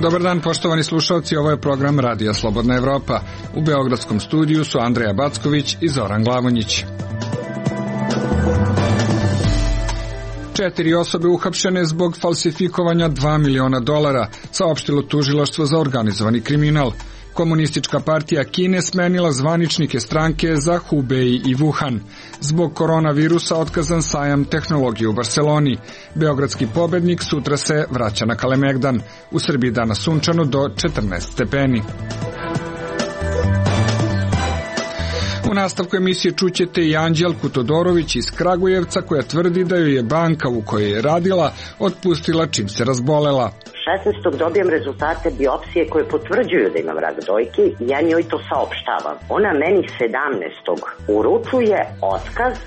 Dobar dan, poštovani slušalci, ovo je program Radija Slobodna Evropa. U beogradskom studiju su Andreja Backović i Zoran Glavonjić. 4 osobe uhapšene zbog falsifikovanja $2 miliona, saopštilo tužilaštvo za organizovani kriminal. Komunistička partija Kine smenila zvaničnike stranke za Hubei i Wuhan. Zbog koronavirusa otkazan sajam tehnologije u Barseloni. Beogradski pobednik sutra se vraća na Kalemegdan. U Srbiji danas sunčano do 14 stepeni. U nastavku emisije čućete i Anđelku Todorović iz Kragujevca, koja tvrdi da joj je banka u kojoj je radila otpustila čim se razbolela. 16. dobijem rezultate biopsije koje potvrđuju da imam rak dojke i ja njoj to saopštavam. Ona meni 17. uručuje otkaz.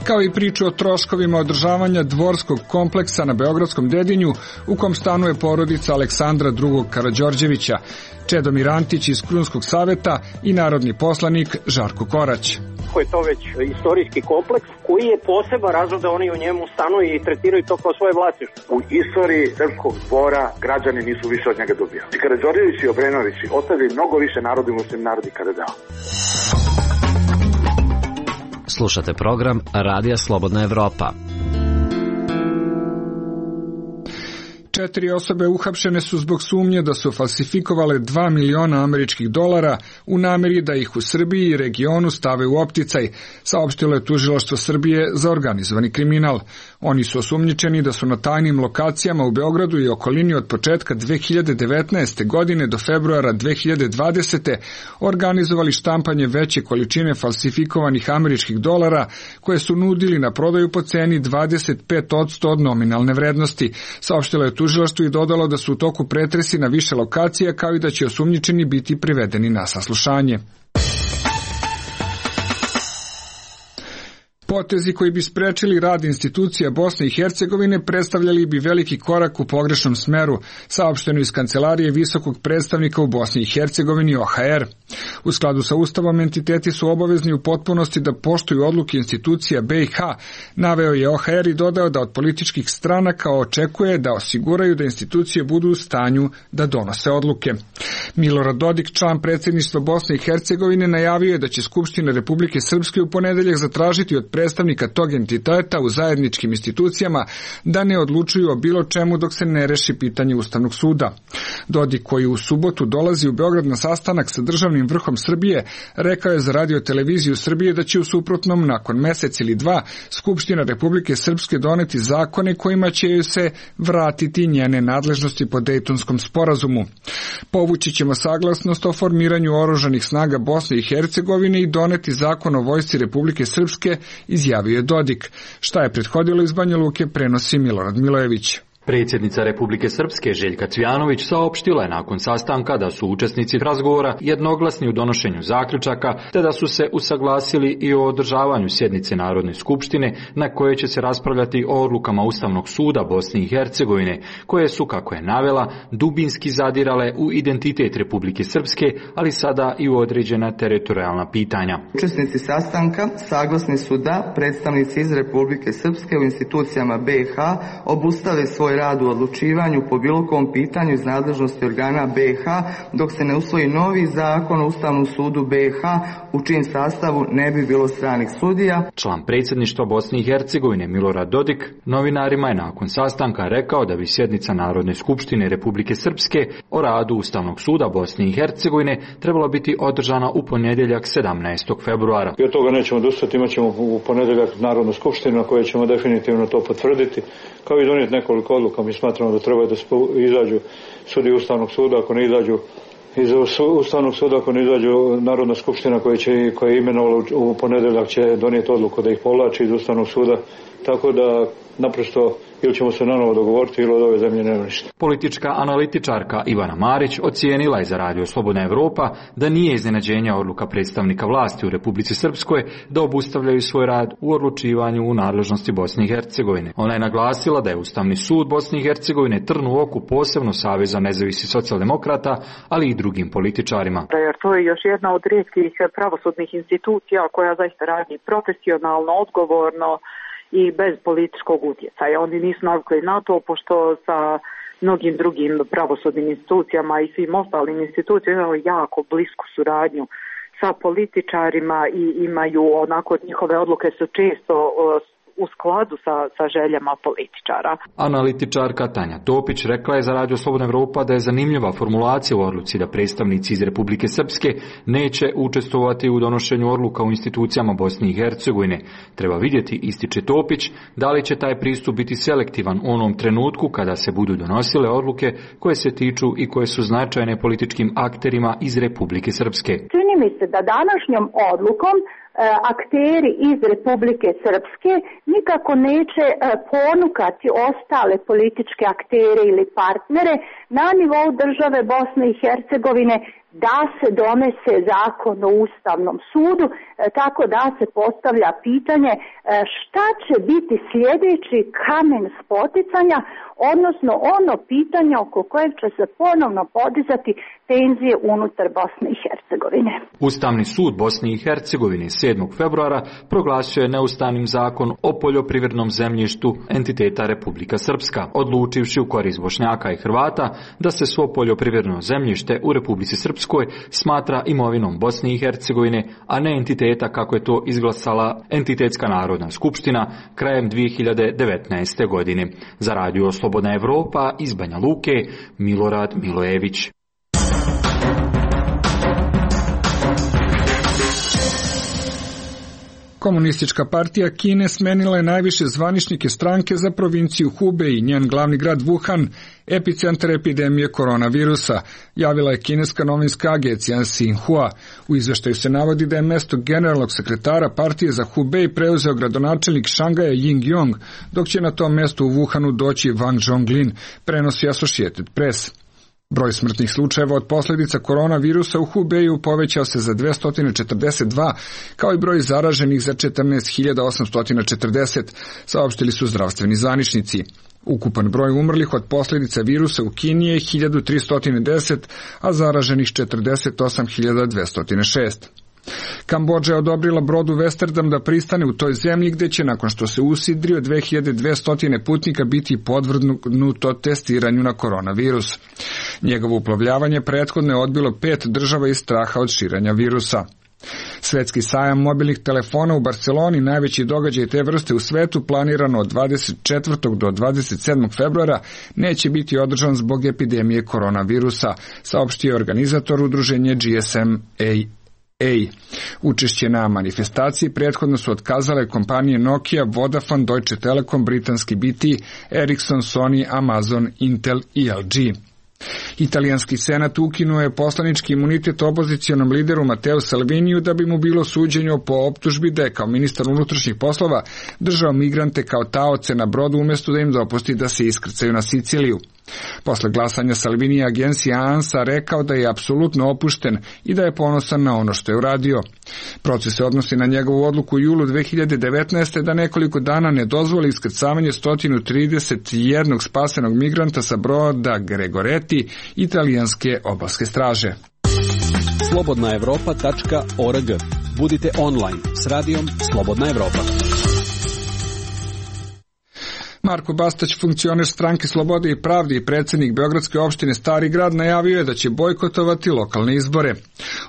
Kao i priču o troškovima održavanja dvorskog kompleksa na Beogradskom Dedinju, u kom stanuje porodica Aleksandra II. Karađorđevića, Čedomir Antić iz Krunskog saveta i narodni poslanik Žarko Korać. Je to već istorijski kompleks koji je poseban razlog da oni u njemu stanuju i tretiraju to kao svoje vlasništvo. U istoriji srpskog dvora građani nisu više od njega dobijali. Karađorđević i Obrenović ostavili mnogo više narodu nego što im narod ikada dao. Slušate program Radija Slobodna Evropa. 4 osobe uhapšene su zbog sumnje da su falsifikovale $2 miliona u nameri da ih u Srbiji i regionu stave u opticaj, saopštilo je tužilaštvo Srbije za organizovani kriminal. Oni su osumnjičeni da su na tajnim lokacijama u Beogradu i okolini od početka 2019. godine do februara 2020. organizovali štampanje veće količine falsifikovanih američkih dolara koje su nudili na prodaju po ceni 25% od nominalne vrednosti, saopštilo je tužilaštvo i dodalo da su u toku pretresi na više lokacija, kao i da će osumnjičeni biti privedeni na saslušanje. Potezi koji bi sprečili rad institucija Bosne i Hercegovine predstavljali bi veliki korak u pogrešnom smeru, saopšteno iz kancelarije visokog predstavnika u Bosni i Hercegovini OHR. U skladu sa Ustavom entiteti su obavezni u potpunosti da poštuju odluke institucija BiH, naveo je OHR i dodao da od političkih stranaka očekuje da osiguraju da institucije budu u stanju da donose odluke. Milorad Dodik, član predsjedništva Bosne i Hercegovine, najavio je da će Skupština Republike Srpske u ponedeljak zatražiti od predstavnika tog entiteta u zajedničkim institucijama da ne odlučuju o bilo čemu dok se ne reši pitanje Ustavnog suda. Dodik, koji u subotu dolazi u Beograd na sastanak sa državnim vrhom Srbije, rekao je za Radio-televiziju Srbije da će u suprotnom nakon mesec ili dva Skupština Republike Srpske doneti zakone kojima će joj se vratiti njene nadležnosti po Dejtonskom sporazumu. Povući ćemo saglasnost o formiranju oružanih snaga Bosne i Hercegovine i doneti zakon o vojsci Republike Srpske, izjavio je Dodik. Šta je prethodilo iz Banja Luke, prenosi Milorad Milojević. Predsjednica Republike Srpske Željka Cvijanović saopštila je nakon sastanka da su učesnici razgovora jednoglasni u donošenju zaključaka, te da su se usaglasili i o održavanju sjednice Narodne skupštine na kojoj će se raspravljati o odlukama Ustavnog suda Bosne i Hercegovine, koje su, kako je navela, dubinski zadirale u identitet Republike Srpske, ali sada i u određena teritorijalna pitanja. Učesnici sastanka saglasni su da predstavnici iz Republike Srpske u institucijama BiH obustave svoj rad u odlučivanju po bilo kom pitanju iz nadležnosti organa BiH dok se ne usvoji novi zakon o Ustavnom sudu BiH u čijem sastavu ne bi bilo stranih sudija. Član predsjedništva Bosne i Hercegovine Milorad Dodik novinarima je nakon sastanka rekao da bi sjednica Narodne skupštine Republike Srpske o radu Ustavnog suda Bosne i Hercegovine trebala biti održana u ponedjeljak 17. februara. I od toga nećemo odustati, imat ćemo u ponedjeljak Narodnu skupštinu na kojoj ćemo definitivno to potvrditi, kao i donijeti nekoliko odluka. Mi smatramo da treba da izađu sudi Ustavnog suda, ako ne izađu iz Ustavnog suda, ako ne izađu Narodna skupština koja je imenovala u ponedjeljak će donijeti odluku da ih povlači iz Ustavnog suda, tako da naprosto ili ćemo se nanovo dogovoriti ili od ove zemlje nema ništa. Politička analitičarka Ivana Marić ocijenila je za Radio Slobodna Evropa da nije iznenađenja odluka predstavnika vlasti u Republici Srpskoj da obustavljaju svoj rad u odlučivanju u nadležnosti Bosne i Hercegovine. Ona je naglasila da je Ustavni sud Bosne i Hercegovine trn u oku posebno Saveza nezavisnih socijaldemokrata, ali i drugim političarima. Jer to je još jedna od rijetkih pravosudnih institucija koja zaista radi profesionalno, odgovorno i bez političkog utjecaja. Oni nisu navikli na to, pošto sa mnogim drugim pravosudnim institucijama i svim ostalim institucijama imaju jako blisku suradnju sa političarima i imaju onako, njihove odluke su često u skladu sa željama političara. Analitičarka Tanja Topić rekla je za Radio Slobodna Evropa da je zanimljiva formulacija u odluci da predstavnici iz Republike Srpske neće učestvovati u donošenju odluka u institucijama Bosne i Hercegovine. Treba vidjeti, ističe Topić, da li će taj pristup biti selektivan u onom trenutku kada se budu donosile odluke koje se tiču i koje su značajne političkim akterima iz Republike Srpske. Čini mi se da današnjom odlukom akteri iz Republike Srpske nikako neće ponukati ostale političke aktere ili partnere na nivou države Bosne i Hercegovine da se donese zakon o Ustavnom sudu, tako da se postavlja pitanje šta će biti sljedeći kamen spoticanja, odnosno ono pitanje oko kojeg će se ponovno podizati tenzije unutar Bosne i Hercegovine. Ustavni sud Bosne i Hercegovine 7. februara proglasio je neustavnim zakon o poljoprivrednom zemljištu entiteta Republika Srpska, odlučivši u korist Bošnjaka i Hrvata da se svo poljoprivredno zemljište u Republici Srpskoj smatra imovinom Bosne i Hercegovine, a ne entiteta kako je to izglasala Entitetska narodna skupština krajem 2019. godine. Za Radio Slobodna Evropa iz Banja Luke, Milorad Milojević. Komunistička partija Kine smenila je najviše zvaničnike stranke za provinciju Hubei i njen glavni grad Wuhan, epicentar epidemije koronavirusa, javila je kineska novinska agencija Xinhua. U izveštaju se navodi da je mesto generalnog sekretara partije za Hubei preuzeo gradonačelnik Šangaja Ying Yong, dok će na tom mestu u Wuhanu doći Wang Zhonglin, prenosi Associated Press. Broj smrtnih slučajeva od posljedica koronavirusa u Hubeju povećao se za 242, kao i broj zaraženih za 14.840, saopštili su zdravstveni zvaničnici. Ukupan broj umrlih od posljedica virusa u Kini je 1310, a zaraženih 48.206. Kambodža je odobrila brodu Westerdam da pristane u toj zemlji, gdje će nakon što se usidrio 2200 putnika biti podvrgnuto testiranju na koronavirus. Njegovo uplovljavanje prethodno je odbilo 5 država iz straha od širenja virusa. Svetski sajam mobilnih telefona u Barceloni, najveći događaj te vrste u svetu, planirano od 24. do 27. februara, neće biti održan zbog epidemije koronavirusa, saopštio je organizator udruženja GSMA. Učešće na manifestaciji prethodno su otkazale kompanije Nokia, Vodafone, Deutsche Telekom, britanski BT, Ericsson, Sony, Amazon, Intel i LG. Italijanski senat ukinuo je poslanički imunitet opozicionom lideru Matteo Salviniju da bi mu bilo suđenje po optužbi da je kao ministar unutrašnjih poslova držao migrante kao taoce na brodu umjesto da im dopusti da se iskrcaju na Siciliju. Posle glasanja Salvini je agencija ANSA rekao da je apsolutno opušten i da je ponosan na ono što je uradio. Proces se odnosi na njegovu odluku u julu 2019. da nekoliko dana ne dozvoli iskrcavanje 131 spasenog migranta sa broda Gregoretti italijanske obalske straže. slobodnaevropa.org. Budite online s radijom Slobodna Evropa. Marko Bastać, funkcioner stranke Slobode i pravde i predsjednik Beogradske opštine Stari grad, najavio je da će bojkotovati lokalne izbore.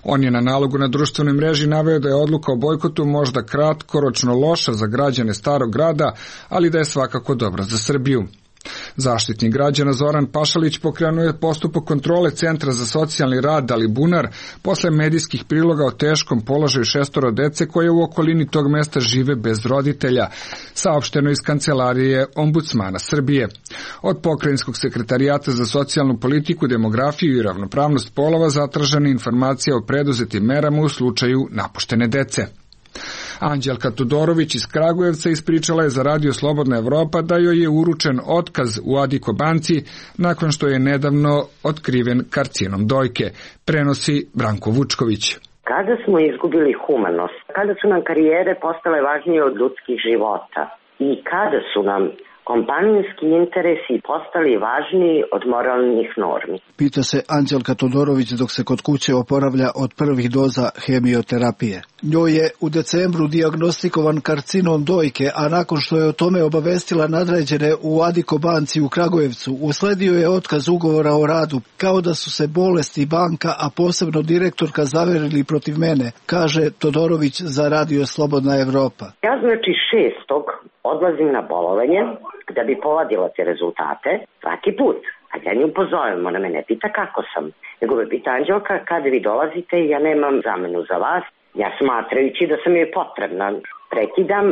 On je na nalogu na društvenoj mreži naveo da je odluka o bojkotu možda kratkoročno loša za građane Starog grada, ali da je svakako dobra za Srbiju. Zaštitnik građana Zoran Pašalić pokrenuo je postupak kontrole Centra za socijalni rad Alibunar posle medijskih priloga o teškom položaju 6 dece koje u okolini tog mesta žive bez roditelja, saopšteno iz kancelarije Ombudsmana Srbije. Od Pokrajinskog sekretarijata za socijalnu politiku, demografiju i ravnopravnost polova zatražena informacija o preduzetim merama u slučaju napuštene dece. Anđelka Todorović iz Kragujevca ispričala je za Radio Slobodna Evropa da joj je uručen otkaz u Adiko banci nakon što je nedavno otkriven karcinom dojke, prenosi Branko Vučković. Kada smo izgubili humanost, kada su nam karijere postale važnije od ljudskih života i kada su nam kompanijski interesi postali važniji od moralnih normi. Pita se Anđelka Todorović dok se kod kuće oporavlja od prvih doza hemioterapije. Njoj je u decembru dijagnostikovan karcinom dojke, a nakon što je o tome obavestila nadređene u Adiko banci u Kragujevcu, usledio je otkaz ugovora o radu, kao da su se bolesti banka, a posebno direktorka zaverili protiv mene, kaže Todorović za Radio Slobodna Evropa. Ja znači 6. odlazim na bolovanje da bi povadila te rezultate svaki put. A ja nju pozovem, ona me ne pita kako sam, nego me pita Anđelka kada vi dolazite, ja nemam zamenu za vas. Ja smatrajući da sam joj potrebna, prekidam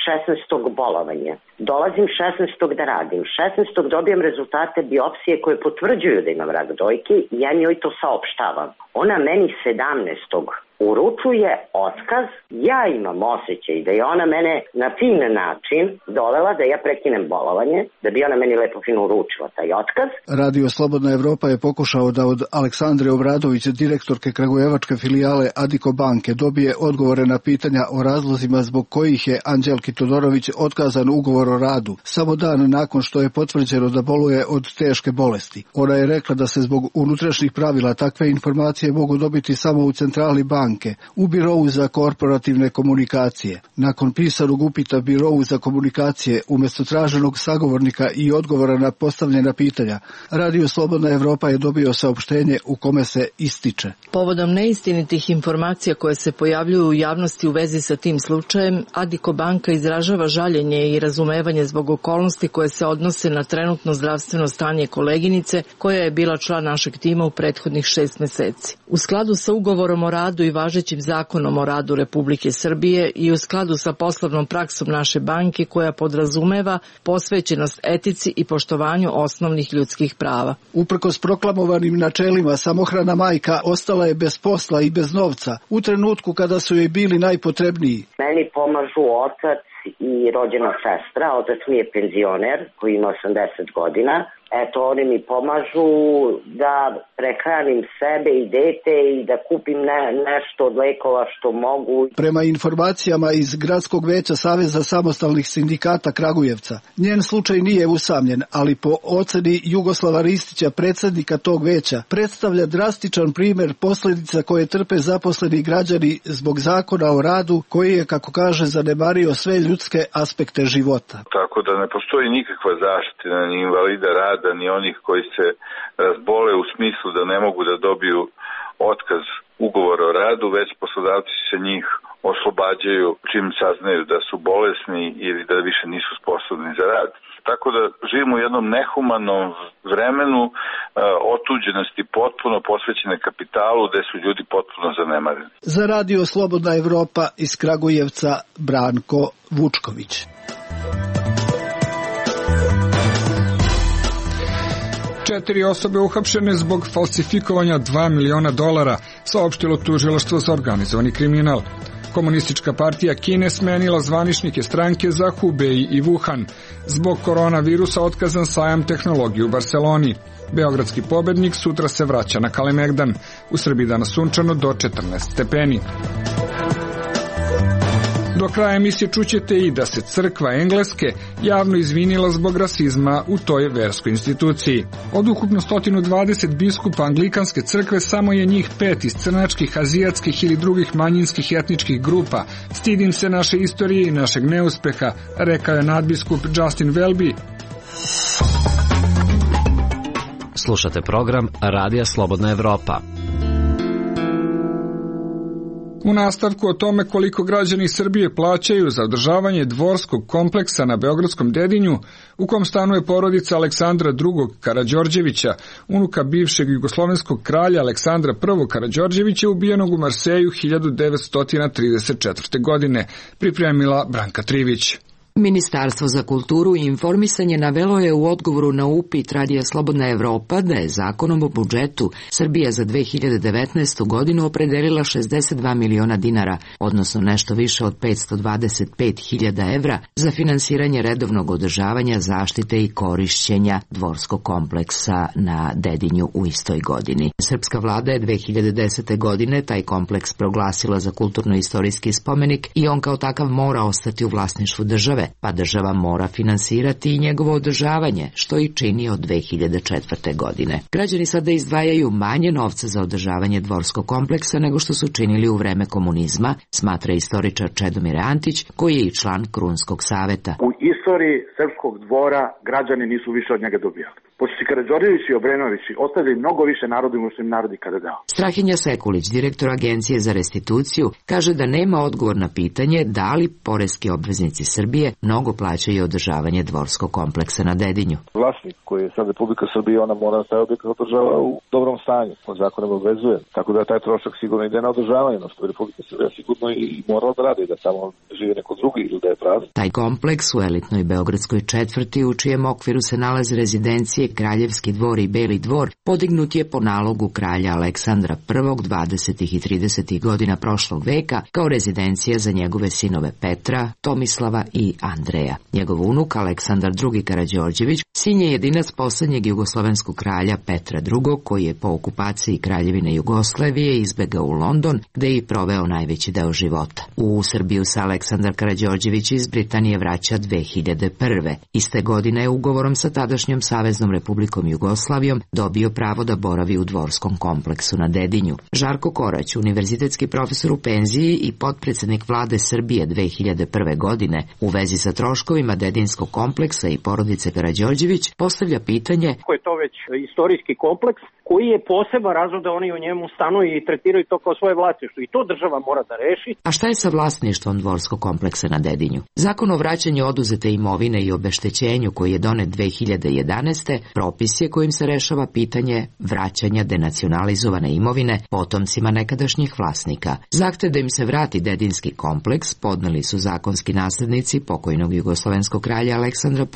16. bolovanje. Dolazim 16. da radim. 16. dobijam rezultate biopsije koje potvrđuju da imam rak dojke i ja njoj to saopštavam. Ona meni 17. uručuje otkaz. Ja imam osjećaj da je ona mene na fin način dovela da ja prekinem bolovanje, da bi ona meni lepo fino uručila taj otkaz. Radio Slobodna Evropa je pokušao da od Aleksandre Obradović, direktorke kragujevačke filijale Adiko banke, dobije odgovore na pitanja o razlozima zbog kojih je Anđelki Todorović otkazan ugovor o radu, samo dan nakon što je potvrđeno da boluje od teške bolesti. Ona je rekla da se zbog unutrašnjih pravila takve informacije mogu dobiti samo u centrali banke, u Birovu za korporativne komunikacije. Nakon pisanog upita Birovu za komunikacije, umjesto traženog sagovornika i odgovora na postavljena pitanja, Radio Slobodna Evropa je dobio saopštenje u kome se ističe: povodom neistinitih informacija koje se pojavljuju u javnosti u vezi sa tim slučajem, Adiko banka izražava žaljenje i razumevanje zbog okolnosti koje se odnose na trenutno zdravstveno stanje koleginice koja je bila član našeg tima u prethodnih 6 meseci. U skladu sa ugovorom o radu i važećim zakonom o radu Republike Srbije i u skladu sa poslovnom praksom naše banke koja podrazumeva posvećenost etici i poštovanju osnovnih ljudskih prava. Uprkos proklamovanim načelima, samohrana majka ostala je bez posla i bez novca u trenutku kada su joj bili najpotrebniji. Meni pomažu otac i rođena sestra. Otac mi je penzioner koji ima 80 godina. Eto, oni mi pomažu da prehranim sebe i dete i da kupim nešto od lekova što mogu. Prema informacijama iz Gradskog veća Saveza samostalnih sindikata Kragujevca, njen slučaj nije usamljen, ali po oceni Jugoslava Ristića, predsjednika tog veća, predstavlja drastičan primjer posljedica koje trpe zaposleni građani zbog zakona o radu koji je, kako kaže, zanemario sve ljudske aspekte života. Tako da ne postoji nikakva zaštita ni invalida rada, ni onih koji se razbole u smislu da ne mogu da dobiju otkaz ugovora o radu, već poslodavci se njih oslobađaju čim saznaju da su bolesni ili da više nisu sposobni za rad. Tako da živimo u jednom nehumanom vremenu otuđenosti potpuno posvećene kapitalu gde su ljudi potpuno zanemareni. Za Radio Slobodna Evropa iz Kragujevca, Branko Vučković. Četiri osobe uhapšene zbog falsifikovanja $2 miliona, saopštilo tužilaštvo za organizovani kriminal. Komunistička partija Kine smenila zvaničnike stranke za Hubei i Wuhan. Zbog koronavirusa otkazan sajam tehnologije u Barseloni. Beogradski pobednik sutra se vraća na Kalemegdan. U Srbiji danas sunčano do 14 stepeni. Do kraja emisije čućete i da se crkva Engleske javno izvinila zbog rasizma u toj verskoj instituciji. Od ukupno 120 biskupa Anglikanske crkve samo je njih 5 iz crnačkih, azijatskih ili drugih manjinskih etničkih grupa. Stidim se naše istorije i našeg neuspeha, rekao je nadbiskup Justin Welby. Slušate program Radija Slobodna Evropa. U nastavku o tome koliko građani Srbije plaćaju za održavanje dvorskog kompleksa na Beogradskom Dedinju, u kom stanuje porodica Aleksandra II. Karađorđevića, unuka bivšeg jugoslovenskog kralja Aleksandra I. Karađorđevića, ubijenog u Marseju 1934. godine, pripremila Branka Trivić. Ministarstvo za kulturu i informisanje navelo je u odgovoru na upit Radija Slobodna Evropa da je zakonom o budžetu Srbija za 2019. godinu opredelila 62 miliona dinara, odnosno nešto više od 525.000 evra, za finansiranje redovnog održavanja, zaštite i korišćenja dvorskog kompleksa na Dedinju u istoj godini. Srpska vlada je 2010. godine taj kompleks proglasila za kulturno-istorijski spomenik i on kao takav mora ostati u vlasništvu države. pa država mora finansirati i njegovo održavanje, što i čini od 2004. godine. Građani sada izdvajaju manje novca za održavanje dvorskog kompleksa nego što su činili u vreme komunizma, smatra istoričar Čedomir Antić, koji je i član Krunskog saveta. U istoriji srpskog dvora građani nisu više od njega dobijali. Pošto su Karađorđević i Obrenović ostavili mnogo više narodu nego što im narod ikada dao. Strahinja Sekulić, direktor Agencije za restituciju, kaže da nema odgovor na pitanje da li poreski obveznici Srbije mnogo plaćaju održavanje dvorskog kompleksa na Dedinju. Vlasnik koji je sad Republika Srbije, ona mora taj objekat održava u dobrom stanju, on zakonom obvezuje. Tako da taj trošak sigurno ide na održavanje, no što je Republika Srbije sigurno i morala da radi, da tamo žive neko drugi ili da je prazan. Taj kompleks u elitnoj beogradskoj četvrti, u čijem okviru se nalaze rezidencije Kraljevski dvor i Beli dvor, podignut je po nalogu kralja Aleksandra I 20. i 30. godina prošlog veka kao rezidencija za njegove sinove Petra, Tomislava i Andreja. Njegov unuk Aleksandar II Karađorđević sin je jedinac poslednjeg jugoslovenskog kralja Petra II, koji je po okupaciji Kraljevine Jugoslavije izbegao u London, gde je i proveo najveći deo života. U Srbiju se Aleksandar Karađorđević iz Britanije vraća 2001. Iste godine je ugovorom sa tadašnjom Saveznom Republikom Jugoslavijom dobio pravo da boravi u dvorskom kompleksu na Dedinju. Žarko Korać, univerzitetski profesor u penziji i potpredsednik vlade Srbije 2001. godine, u vezi sa troškovima Dedinskog kompleksa i porodice Karađorđević, postavlja pitanje: Ko je to već istorijski kompleks koji je poseban razlog da oni u njemu stanuju i tretiraju to kao svoje vlasništvo, i to država mora da reši. A šta je sa vlasništvom dvorskog kompleksa na Dedinju? Zakon o vraćanju oduzete imovine i obeštećenju, koji je donet 2011. propis je kojim se rešava pitanje vraćanja denacionalizovane imovine potomcima nekadašnjih vlasnika. Zahtev da im se vrati Dedinski kompleks podneli su zakonski naslednici pokojnog jugoslovenskog kralja Aleksandra I,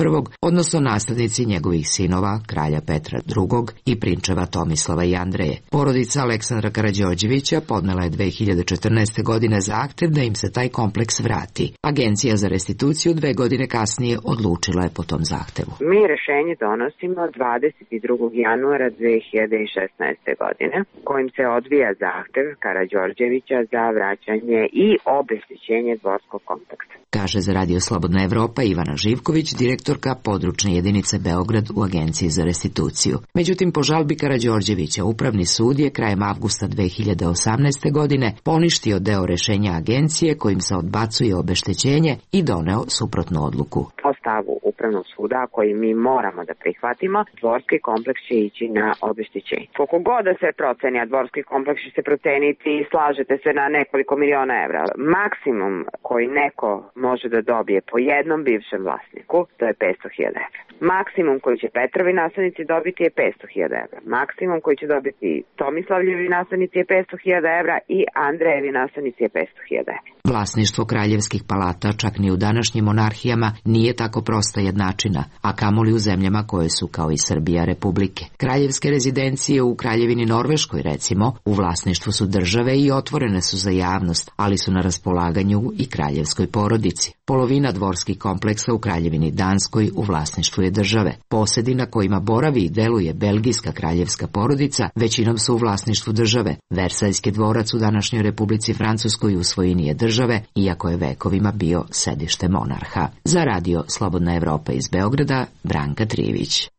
odnosno naslednici njegovih sinova, kralja Petra II i prinčeva Tomislava i Andreje. Porodica Aleksandra Karađorđevića podnela je 2014. godine zahtev da im se taj kompleks vrati. Agencija za restituciju 2 godine kasnije odlučila je po tom zahtevu. Mi rešenje donosimo 22. januara 2016. godine, kojim se odvija zahtev Karađorđevića za vraćanje i obeštećenje dvorskog kompleksa. Kaže za Radio Slobodna Evropa Ivana Živković, direktorka područne jedinice Beograd u Agenciji za restituciju. Međutim, po žalbi Karađorđevića, Upravni sud je krajem avgusta 2018. godine poništio deo rešenja agencije kojim se odbacuje obeštećenje i doneo suprotnu odluku. Po stavu Upravnog suda, koji mi moramo da prihvatimo, dvorski kompleks će ići na obeštećenje. Koliko god da se proceni, a dvorski kompleks će se proceniti i slažete se na nekoliko miliona evra. Maksimum koji neko može da dobije po jednom bivšem vlasniku, to je 500.000 evra. Maksimum koji će Petrovi naslednici dobiti je 500.000 evra. Maksimum koji će dobiti Tomislavljevi naslednici je 500.000 evra i Andrejevi naslednici je 500.000 evra. Vlasništvo kraljevskih palata čak ni u današnjim monarhijama nije tako prosta jednačina, a kamoli u zemljama koje su kao i Srbija republike. Kraljevske rezidencije u Kraljevini Norveškoj, recimo, u vlasništvu su države i otvorene su za javnost, ali su na raspolaganju i kraljevskoj porodici. Polovina dvorskih kompleksa u Kraljevini Danskoj u vlasništvu je države. Posedi na kojima boravi i deluje belgijska kraljevska porodica većinom su u vlasništvu države. Versajski dvorac u današnjoj Republici Francuskoj u svojini je države, iako je vekovima bio sedište monarha. Za Radio Slobodna Evropa iz Beograda, Branka Trivić.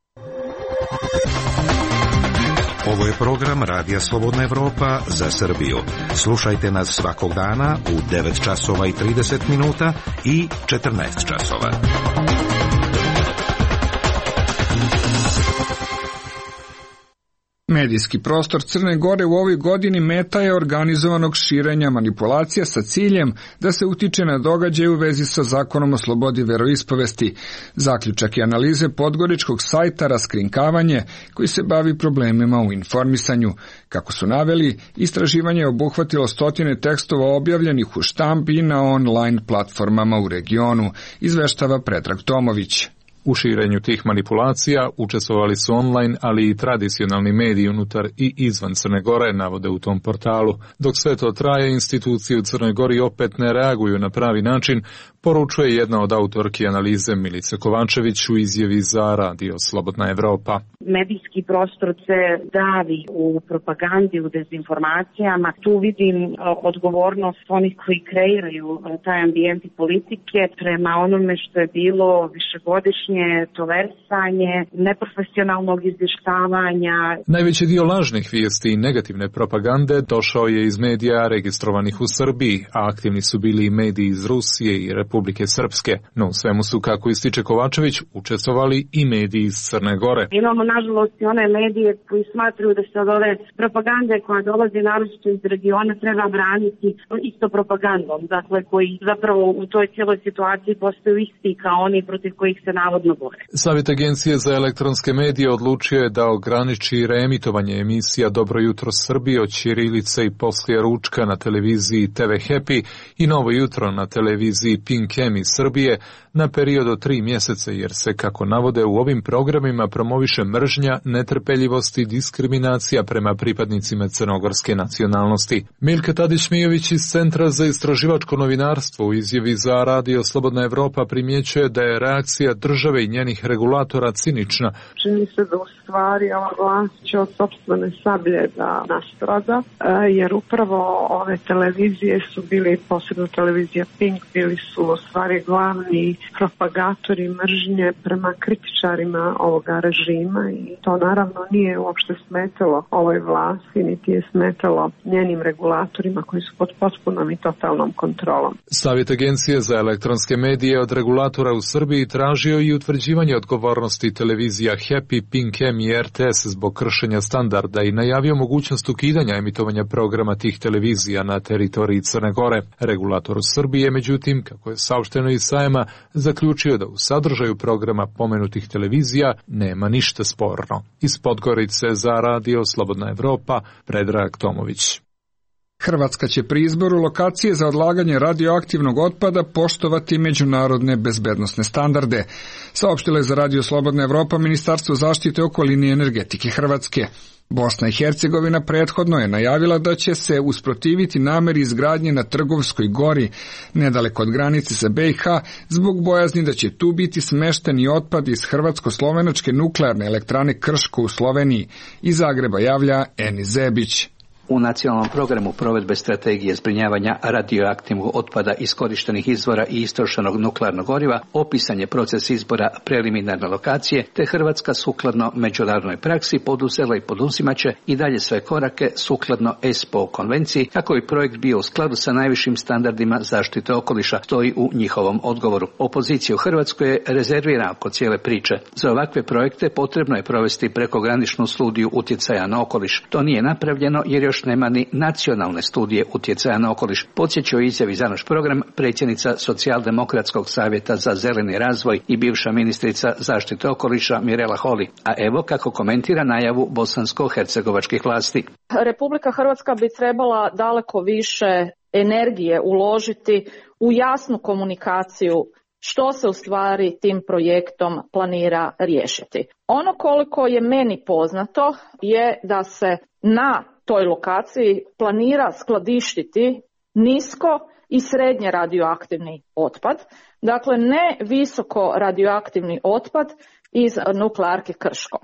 Ovo je program Radija Slobodna Evropa za Srbiju. Slušajte nas svakog dana u 9 časova i 30 minuta i 14 časova. Medijski prostor Crne Gore u ovoj godini meta je organizovanog širenja manipulacija sa ciljem da se utiče na događaje u vezi sa zakonom o slobodi veroispovesti. Zaključak i analize podgoričkog sajta Raskrinkavanje, koji se bavi problemima u informisanju. Kako su naveli, istraživanje je obuhvatilo 100 tekstova objavljenih u štampi i na online platformama u regionu, izveštava Predrag Tomović. U širenju tih manipulacija učestvovali su online, ali i tradicionalni mediji unutar i izvan Crne Gore, navode u tom portalu. Dok sve to traje, institucije u Crnoj Gori opet ne reaguju na pravi način, poručuje jedna od autorki analize Milice Kovačević u izjavi za Radio Slobodna Evropa. Medijski prostor se davi u propagandi, u dezinformacijama. Tu vidim odgovornost onih koji kreiraju taj ambijent i politike prema onome što je bilo višegodišnje tolerisanje, neprofesionalnog izvještavanja. Najveći dio lažnih vijesti i negativne propagande došao je iz medija registrovanih u Srbiji, a aktivni su bili i mediji iz Rusije i Republike Srpske. No u svemu su, kako ističe Kovačević, učestvovali i mediji iz Crne Gore. Imamo nažalost i one medije koji smatruju da se od ove propagande koja dolazi naročito iz regiona treba braniti isto propagandom, dakle koji zapravo u toj cijeloj situaciji postaju isti kao oni protiv kojih se navodno bore. Savjet Agencije za elektronske medije odlučio je da ograniči reemitovanje emisija Dobro jutro Srbije od ćirilice i poslije ručka na televiziji TV Happy i Novo jutro na televiziji Pink M iz Srbije na period od 3 mjeseca, jer se, kako navode, u ovim programima promoviše mržnja, netrpeljivost i diskriminacija prema pripadnicima crnogorske nacionalnosti. Milka Tadić-Mijović iz Centra za istraživačko novinarstvo u izjavi za Radio Slobodna Evropa primjećuje da je reakcija države i njenih regulatora cinična. Čini se da u stvari ova vlast će od sopstvene sablje da nastrada, jer upravo ove televizije su bili, posebno televizija Pink, bili su u stvari glavni propagatori mržnje prema kritičarima ovoga režima i to naravno nije uopšte smetalo ovoj vlasti, niti je smetalo njenim regulatorima koji su pod potpunom i totalnom kontrolom. Savjet Agencije za elektronske medije od regulatora u Srbiji tražio i utvrđivanje odgovornosti televizija Happy, Pink M i RTS zbog kršenja standarda i najavio mogućnost ukidanja emitovanja programa tih televizija na teritoriji Crne Gore. Regulator u Srbiji je, međutim, kako je saopšteno iz sajma, zaključio da u sadržaju programa pomenutih televizija nema ništa sporno. Iz Podgorice za Radio Slobodna Evropa, Predrag Tomović. Hrvatska će pri izboru lokacije za odlaganje radioaktivnog otpada poštovati međunarodne bezbednosne standarde, saopštila je za Radio Slobodna Evropa Ministarstvo zaštite okoline i energetike Hrvatske. Bosna i Hercegovina prethodno je najavila da će se usprotiviti nameri izgradnje na Trgovskoj gori, nedaleko od granice sa BiH, zbog bojazni da će tu biti smešteni otpad iz Hrvatsko-slovenačke nuklearne elektrane Krško u Sloveniji. Iz Zagreba javlja Eni Zebić. U nacionalnom programu provedbe strategije zbrinjavanja radioaktivnog otpada iskorištenih izvora i istrošenog nuklearnog goriva opisan je proces izbora preliminarne lokacije, te Hrvatska sukladno međunarodnoj praksi poduzela i poduzimaće i dalje sve korake sukladno ESPO konvenciji kako bi projekt bio u skladu sa najvišim standardima zaštite okoliša, stoji u njihovom odgovoru. Opozicija u Hrvatskoj je rezervirana oko cijele priče. Za ovakve projekte potrebno je provesti prekograničnu studiju utjecaja na okoliš. To nije napravljeno jer još nema ni nacionalne studije utjecaja na okoliš, podsjeća u izjavi za naš program predsjednica Socijaldemokratskog savjeta za zeleni razvoj i bivša ministrica zaštite okoliša Mirela Holy. A evo kako komentira najavu bosansko-hercegovačkih vlasti. Republika Hrvatska bi trebala daleko više energije uložiti u jasnu komunikaciju što se u stvari tim projektom planira riješiti. Ono koliko je meni poznato je da se na toj lokaciji planira skladištiti nisko i srednje radioaktivni otpad, dakle ne visoko radioaktivni otpad iz nuklearke Krško.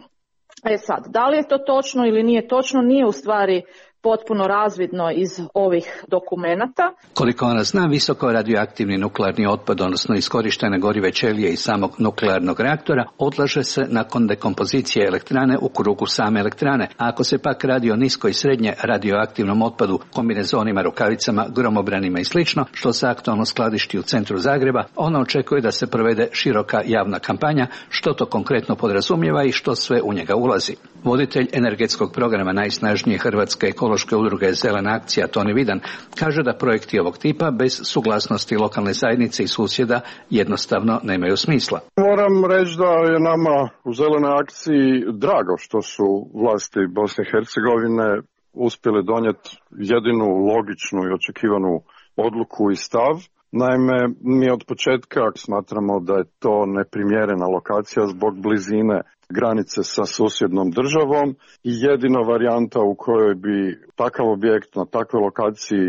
Sad, da li je to točno ili nije točno, nije u stvari potpuno razvidno iz ovih dokumenata. Koliko ona zna, visoko radioaktivni nuklearni otpad, odnosno iskorištene gorive ćelije iz samog nuklearnog reaktora, odlaže se nakon dekompozicije elektrane u krugu same elektrane. A ako se pak radi o nisko i srednje radioaktivnom otpadu, kombinezonima, rukavicama, gromobranima i sl., što se aktualno skladišti u centru Zagreba, ona očekuje da se provede široka javna kampanja, što to konkretno podrazumijeva i što sve u njega ulazi. Voditelj energetskog programa najsnažnije hrvatske ekološke udruge Zelena akcija Toni Vidan kaže da projekti ovog tipa bez suglasnosti lokalne zajednice i susjeda jednostavno nemaju smisla. Moram reći da je nama u Zelenoj akciji drago što su vlasti Bosne i Hercegovine uspjeli donijeti jedinu logičnu i očekivanu odluku i stav, Naime, mi od početka smatramo da je to neprimjerena lokacija zbog blizine granice sa susjednom državom i jedina varijanta u kojoj bi takav objekt na takvoj lokaciji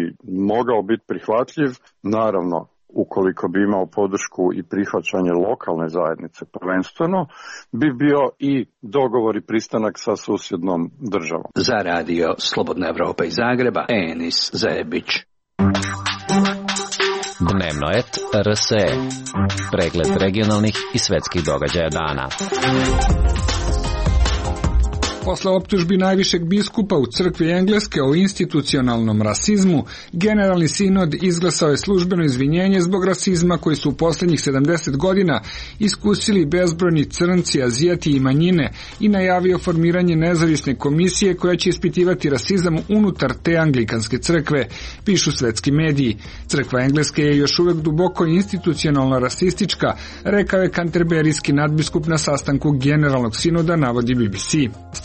mogao biti prihvatljiv, naravno ukoliko bi imao podršku i prihvaćanje lokalne zajednice prvenstveno, bi bio i dogovor i pristanak sa susjednom državom. Za radio Slobodna Evropa iz Zagreba, Enis Zajebić. Dnevnoet RSE. Pregled regionalnih i svetskih događaja dana. Posle optužbi najvišeg biskupa u crkvi Engleske o institucionalnom rasizmu, Generalni sinod izglasao je službeno izvinjenje zbog rasizma koji su u poslednjih 70 godina iskusili bezbrojni crnci, azijati i manjine i najavio formiranje nezavisne komisije koja će ispitivati rasizam unutar te anglikanske crkve, pišu svetski mediji. Crkva Engleske je još uvek duboko institucionalno rasistička, rekao je kanterberijski nadbiskup na sastanku Generalnog sinoda, navodi BBC.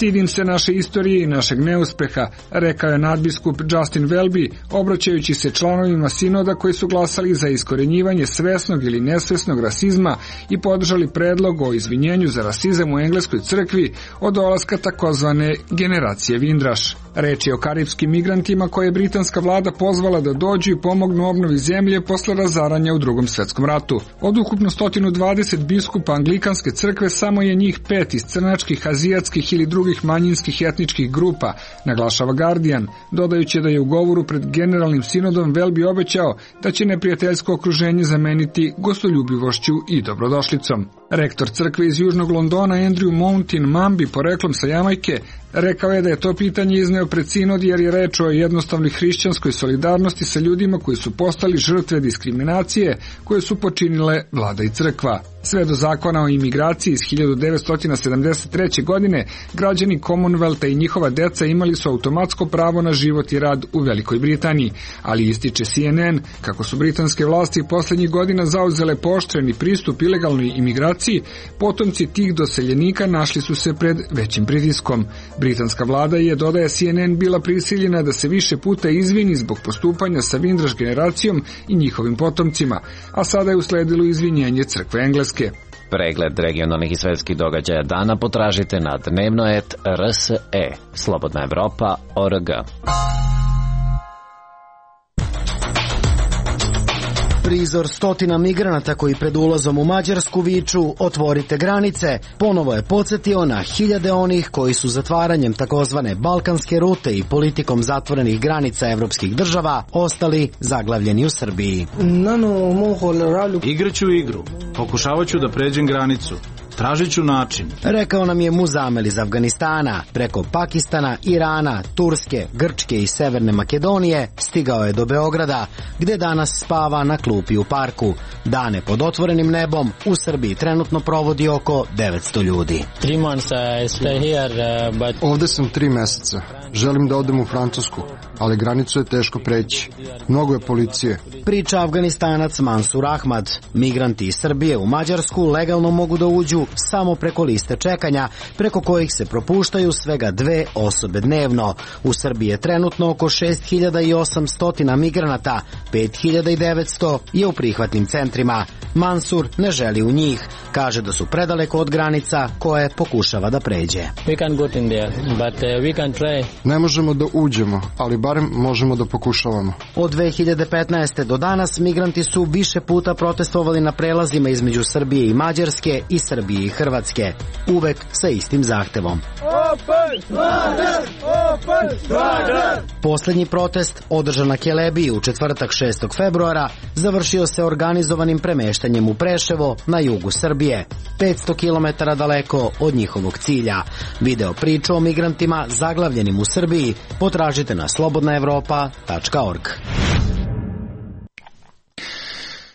Stidim se naše istorije i našeg neuspeha, rekao je nadbiskup Justin Welby, obraćajući se članovima sinoda koji su glasali za iskorenjivanje svesnog ili nesvesnog rasizma i podržali predlog o izvinjenju za rasizam u engleskoj crkvi od dolaska takozvane generacije Vindraš. Reč je o karipskim migrantima koje je britanska vlada pozvala da dođu i pomognu obnovi zemlje posle razaranja u Drugom svetskom ratu. Od ukupno 120 biskupa anglikanske crkve samo je njih 5 iz crnačkih, azijatskih ili drugih manjinskih etničkih grupa, naglašava Guardian, dodajući da je u govoru pred Generalnim sinodom Welby obećao da će neprijateljsko okruženje zameniti gostoljubivošću i dobrodošlicom. Rektor crkve iz Južnog Londona Andrew Mountain Mambi, poreklom sa Jamajke, rekao je da je to pitanje izneo pred sinod jer je reč o jednostavnoj hrišćanskoj solidarnosti sa ljudima koji su postali žrtve diskriminacije koje su počinile vlada i crkva. Sve do zakona o imigraciji iz 1973. godine, građani Commonwealtha i njihova deca imali su automatsko pravo na život i rad u Velikoj Britaniji, ali ističe CNN kako su britanske vlasti poslednjih godina zauzele pooštreni pristup ilegalnoj imigraciji, potomci tih doseljenika našli su se pred većim pritiskom. Britanska vlada je, dodaje CNN, bila prisiljena da se više puta izvini zbog postupanja sa Vindraš generacijom i njihovim potomcima, a sada je usledilo izvinjenje crkve Engleske. Pregled regionalnih i svetskih događaja dana potražite na dnevnoet RSE, Slobodna Evropa.org. Prizor stotina migranata koji pred ulazom u Mađarsku viču "Otvorite granice" ponovo je podsjetio na hiljade onih koji su zatvaranjem takozvane balkanske rute i politikom zatvorenih granica evropskih država ostali zaglavljeni u Srbiji. Igraću igru, pokušavaću da pređem granicu. Tražit ću način. Rekao nam je Muzamel iz Afganistana. Preko Pakistana, Irana, Turske, Grčke i Severne Makedonije stigao je do Beograda, gde danas spava na klupi u parku. Dane pod otvorenim nebom u Srbiji trenutno provodi oko 900 ljudi. Ovde sam 3 meseca. Želim da odem u Francusku, ali granicu je teško preći. Mnogo je policije. Priča Afganistanac Mansur Ahmad. Migranti iz Srbije u Mađarsku legalno mogu da uđu samo preko liste čekanja, preko kojih se propuštaju svega 2 osobe dnevno. U Srbiji je trenutno oko 6800 migranata, 5900 je u prihvatnim centrima. Mansur ne želi u njih, kaže da su predaleko od granica koje pokušava da pređe. Ne možemo da uđemo, ali barem možemo da pokušavamo. Od 2015. do danas migranti su više puta protestovali na prelazima između Srbije i Mađarske i Srbije i Hrvatske, uvek sa istim zahtevom. Poslednji protest, održan na Kelebiji u četvrtak 6. februara, završio se organizovanim premeštanjem u Preševo na jugu Srbije, 500 km daleko od njihovog cilja. Video priču o migrantima zaglavljenim u Srbiji potražite na slobodnaevropa.org.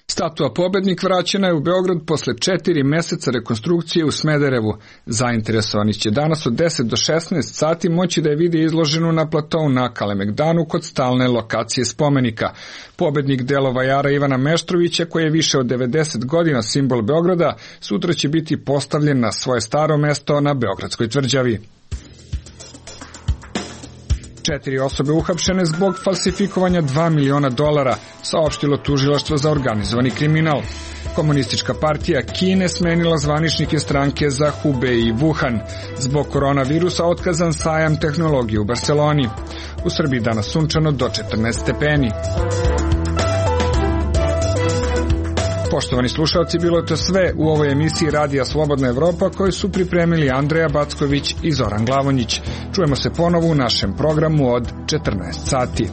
Statua Pobednik vraćena je u Beograd posle 4 meseca rekonstrukcije u Smederevu. Zainteresovani će danas od 10 do 16 sati moći da je vide izloženu na platou na Kalemegdanu kod stalne lokacije spomenika. Pobednik delova Jara Ivana Meštrovića, koji je više od 90 godina simbol Beograda, sutra će biti postavljen na svoje staro mesto na Beogradskoj tvrđavi. 4 osobe uhapšene zbog falsifikovanja $2 miliona, saopštilo tužilaštvo za organizovani kriminal. Komunistička partija Kine smenila zvaničnike stranke za Hubei i Wuhan. Zbog koronavirusa otkazan sajam tehnologije u Barceloni. U Srbiji danas sunčano do 14 stepeni. Poštovani slušalci, bilo je to sve u ovoj emisiji Radija Slobodna Evropa koju su pripremili Andreja Backović i Zoran Glavonjić. Čujemo se ponovo u našem programu od 14 sati.